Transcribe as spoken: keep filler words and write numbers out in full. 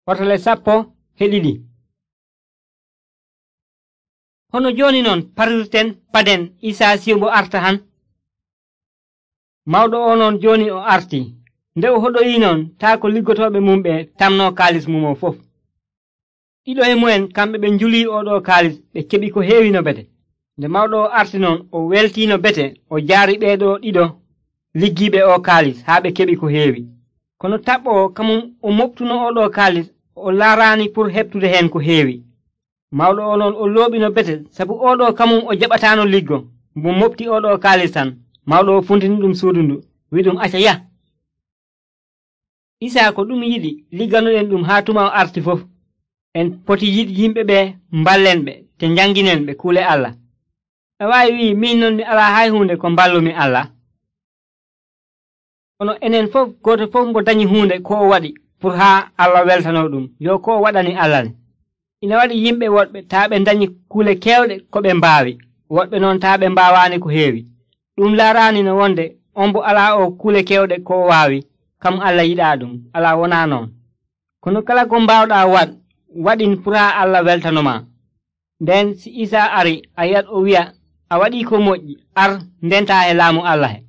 Hotole sappo e ɗiɗi. Hono joni non parirten paden Isa siwbo arta han. Mawɗo o non joni o arti. Nde o hoɗoyi non taa ko liggotoɓe mum ɓe tamno kaalis mum o fof. Ɗiɗo e mu'en kamɓe ɓe njuli oɗo kaalis ɓe keɓi ko heewi no bete. Nde mawɗo o arti non o weltino bete o jaari ɓeeɗo ɗiɗo liggiiɓe o kaalis haa ɓe keɓi ko heewi. Kono taɓɓo o kamum o moɓtuno oɗo kaalis o laaraani pour heɓtude heen ko heewi. Mawɗo o non o looɓino bete sabu oɗo kamum o jaɓataano liggo mo moɓti oɗo kaalis tan. Mawɗo o funtini ɗum suudu ndu wi ɗum acca yah. Isa ko ɗum yiɗi ligganoɗen ɗum haa tuma o arti fof. En poti yiɗ yimɓe ɓe mballen ɓe te njanginen ɓe kuule Allah. A waawi wi min non mi alaa hay huunde ko mballumi Allah. Kono enen fof gooto fof mo dañi huunde ko o waɗi pour haa Allah weltano ɗum yo ko o waɗani Allah ne. Ina waɗi yimɓe woɗɓe taa ɓe dañi kuule keewɗe ko ɓe mbaawi, woɗɓe noon taa ɓe mbaawaani ko heewi. Ɗum laaraani no wonde on bo alaa o kuule keewɗe ko o waawi, kam Allah yiɗaa ɗum, alaa wonaa noon. Kono kala ko mbaawɗaa waɗ, waɗin pour haa Allah weltanoma. Nden si Isa ari a yiyat o wi'a a waɗii ko moƴƴi, ar ndentaa e laamu Allah he.